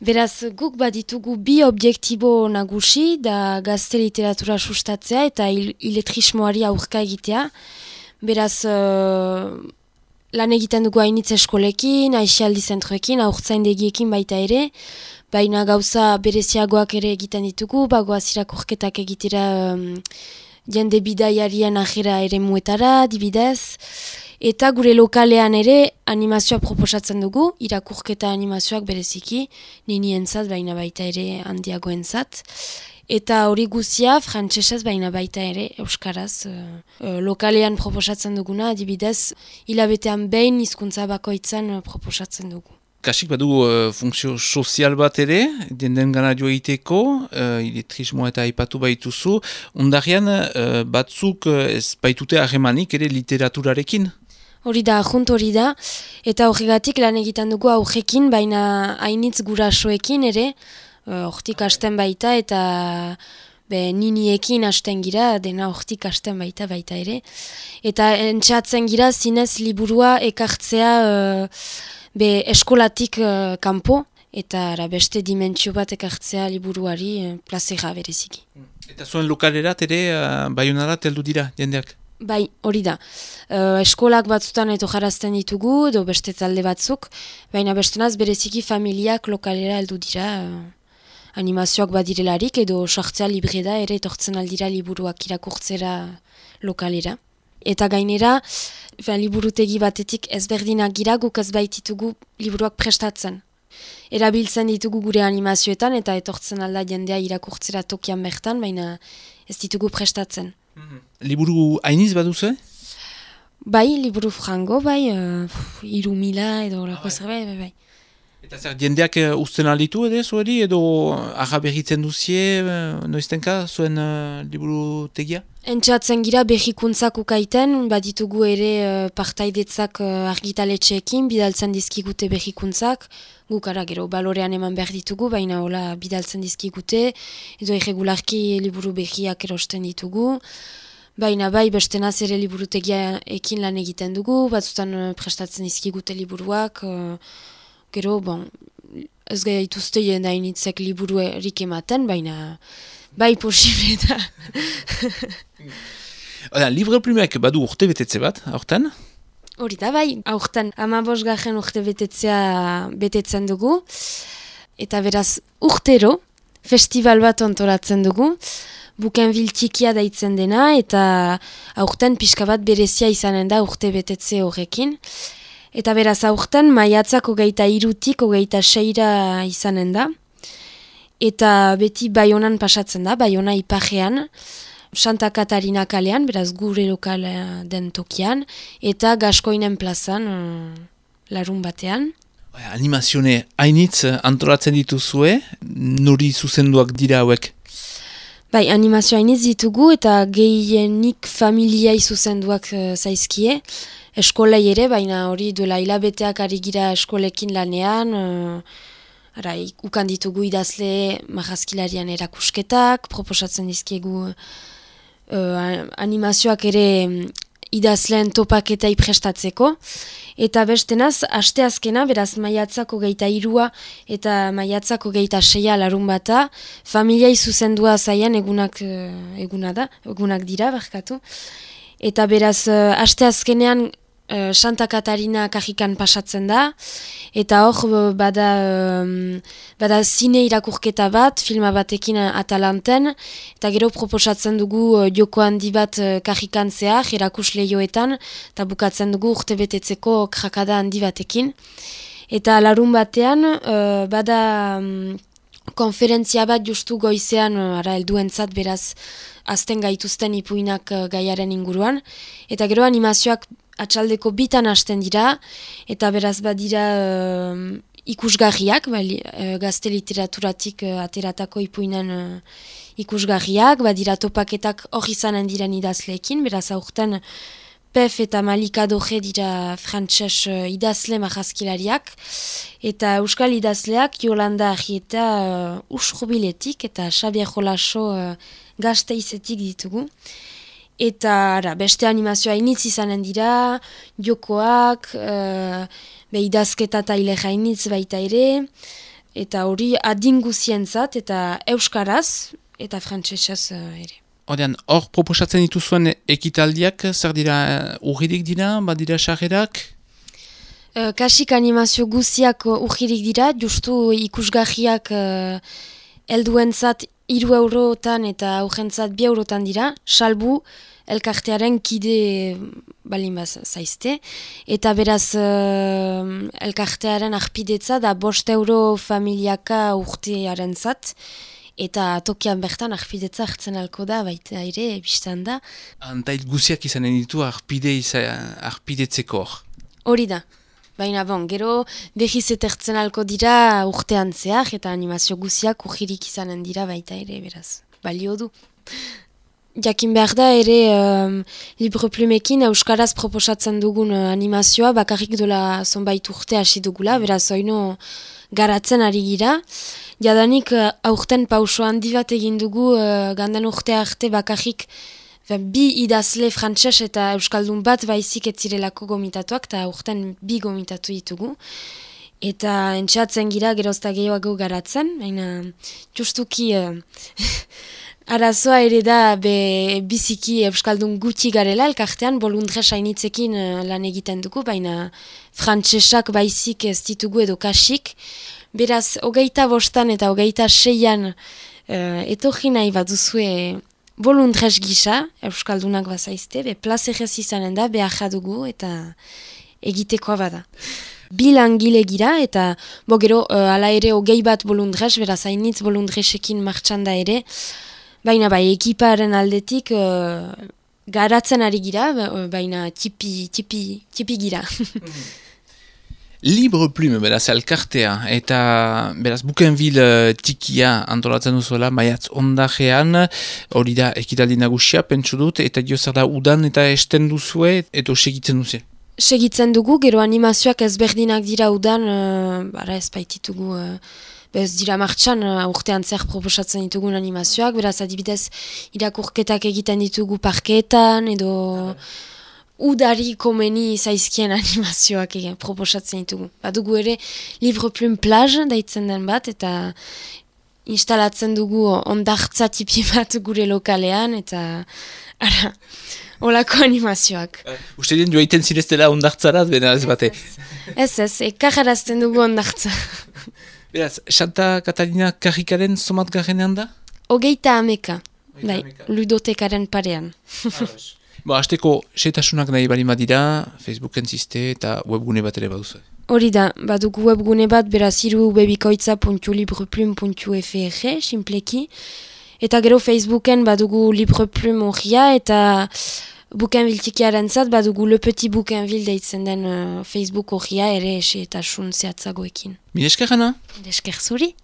Beraz, guk baditugu bi objektibo nagusi, da gazte literatura sustatzea eta iletrismoari aurka egitea. Beraz, lan egiten dugu hainitz eskolekin, aixialdi zentroekin, haurtzaindegiekin baita ere, baina gauza bereziagoak ere egiten ditugu, bagoaz irakurketak egitera jende bidaiarien ajera ere muetara, dibidez. Eta gure lokalean ere animazioa proposatzen dugu, irakurketa animazioak bereziki, ninientzat baina baita ere handiagoentzat. Eta hori guzia frantsesez baina baita ere euskaraz. Lokalean proposatzen duguna, adibidez, hilabetean behin hizkuntza bakoitzan proposatzen dugu. Kasik badu funtzio sozial bat ere, den gana jo egiteko, iletrismoa eta aipatu baituzu, ondarian batzuk ez baitute harremanik ere literaturarekin? Hori da, junt hori da, eta horregatik lan egiten dugu aurrekin, baina hainitz gurasoekin ere, hortik hasten baita eta niniekin hasten gira, dena hortik hasten baita ere. Eta entxatzen gira zinez liburua ekartzea eskolatik kanpo, eta beste dimentsio bat ekartzea liburuari plazera bereziki. Eta zuen lokalerat ere Baionarat heldu dira jendeak? Bai, hori da. Eskolak batzutan eto jarazten ditugu, edo beste talde batzuk, baina bestenaz bereziki familiak lokalera heldu dira, animazioak badirelarik, edo sartzea libre da, ere etortzen aldira liburuak irakurtzera lokalera. Eta gainera, liburutegi batetik ezberdinak gira, guk ez baititugu liburuak prestatzen. Erabiltzen ditugu gure animazioetan, eta etortzen alda jendea irakurtzera tokian bertan, baina ez ditugu prestatzen. Liburu hainiz baduzu? Bai, liburu frango, bai, 3.000 edo lako zerbait, bai. Eta zer, jendeak usten alditu zueri, edo arra berritzen duzie, noiztenka, zuen liburu tegia? Entxatzen gira berrikuntzak ukaiten, baditugu ere partaidetzak argitaletxeekin, bidaltzen dizkigute berrikuntzak, gukara gero balorean eman behar ditugu, baina hola bidaltzen dizkigute, edo irregularki liburu berriak erosten ditugu, baina bai bestenaz ere liburutegia ekin lan egiten dugu, batzutan prestatzen dizkigute liburuak, gero, ez gaituzte jendainitzek liburu erik ematen, baina bai posible da. Libre plumeak badu urte betetze bat, aurten? Hori da, bai, aurten 15. urte betetzen dugu, eta beraz urtero festival bat ontolatzen dugu, Bukenbil txikia daitzen dena, eta aurten pixka bat berezia izanen da urte betetze horrekin. Eta beraz aurten maiatzak 23-tik 26 izanen da. Eta beti Baionan pasatzen da, Baiona ipajean, Santa Katarina kalean, beraz gure lokal den tokian, eta Gaskoinen plazan, larun batean. Animazione hainitz antolatzen dituzue, nori zuzenduak dira hauek? Bai, animazio hainitz ditugu eta gehienik familiai zuzenduak zaizkie. Eskolei ere, baina hori duela hilabeteak ari gira eskolekin lanean, ukan ditugu idazle marrazkilarian erakusketak, proposatzen dizkiegu animazioak ere idazleen topaketai prestatzeko. Eta bestenaz, asteazkena, beraz maiatzak 23 eta maiatzak 26 larun bata, familiai zuzendua zaian egunak dira, barkatu. Eta beraz, asteazkenean Santa Katarina kajikan pasatzen da, eta hor bada zine irakurketa bat, filma batekin Atalanten, eta gero proposatzen dugu joko handi bat kajikan zehar, erakus lehioetan, eta bukatzen dugu urte betetzeko krakada handi batekin. Eta larun batean bada konferentzia bat justu goizean helduentzat beraz azten gaituzten ipuinak gaiaren inguruan, eta gero animazioak atxaldeko bitan hasten dira, eta beraz badira ikusgarriak, gazte literaturatik ateratako ipuinen ikusgarriak, badira topaketak hor izanen diren idazleekin, beraz aurten Pef eta Malika Doge dira frantses idazle marrazkilariak, eta euskal idazleak Jolanda Arrieta Usrubiletik eta Xabier Jolaso Gasteizetik ditugu. Eta beste animazioa hainitz izanen dira, jokoak, idazketa eta ileja hainitz baita ere, eta hori adinguzientzat eta euskaraz eta frantsesez ere. Hor proposatzen dituzuen ekitaldiak, zer dira urririk dira, badira sarrerak? Kasik animazio guziak urririk dira, justu ikusgarriak helduentzat 3 eurotan eta aurrentzat 2 eurotan dira, salbu elkartearen kide balin zaizte. Eta beraz elkartearen arpidetza da 5 euro familiaka urtearen zat, eta tokian bertan arpidetza hartzen alko da, baita ere, biztan da. Antait guziak izanen ditu arpidetzeko hor? Hori da. Baina gero behiz etertzen alko dira urtean zehar, eta animazio guziak urririk izanen dira baita ere, beraz. Balio du. Jakin behar da ere Libreplumekin euskaraz proposatzen dugun animazioa bakarrik dola zonbait urte hasi dugula, beraz oino garatzen ari gira. Jadanik aurten pauso handi bat egin dugu gandan urte arte bakarrik 2 idazle frantses eta euskaldun bat baizik etzirelako gomitatuak, eta aurten 2 gomitatu ditugu. Eta entxeatzen gira gerozta gehiago garatzen, baina justuki arazoa ere da biziki euskaldun gutxi garela, elkartean bolundres hainitzekin lan egiten dugu, baina frantsesak baizik ez ditugu edo kasik. Beraz, 25 eta 26 etorri nahi bat duzue bolundres gisa, euskaldunak bazaizte, plazerez izanen da, behar dugu eta egitekoa bada. 2 langile gira eta gero ala ere 21 bolundres, beraz hainitz bolundresekin martxan da ere, baina ekiparen aldetik garatzen ari gira, baina tipi gira. Libreplume, beraz, elkartea, eta beraz, Bukenbil tikia antolatzen duzuela, maiatz ondajean, hori da ekitaldi nagusia, pentsu dut, eta dio zer da udan eta esten duzue, edo segitzen duzu? Segitzen dugu, gero animazioak ezberdinak dira udan, ez baititugu, ez dira martxan, urtean zer proposatzen ditugun animazioak, beraz adibidez irakurketak egiten ditugu parkeetan, edo udari komeni zaizkien animazioak proposatzen ditugu. Badugu ere Libreplume plage daitzen den bat, eta instalatzen dugu ondartza tipi bat gure lokalean, eta olako animazioak. Uste dien joaiten zireztela ondartzarat, bena ez bate? Ez, ekajarazten dugu ondartza. Beraz, Santa Katarina karrikaren somat garenean da? 30, ludotekaren parean. Azteko, setasunak nahi bali madira, Facebooken ziste eta webgune bat ere baduzu. Hori da, badugu webgune bat, beraz irubebikoitza.libreplume.fr, simpleki. Eta gero Facebooken badugu Libreplume horria, eta Bukenbil tikiaren zat, badugu Le Petit Bukenbil deitzen den Facebook horria ere esetasun zehatzagoekin. Mil esker, Hana? Mil esker zuri.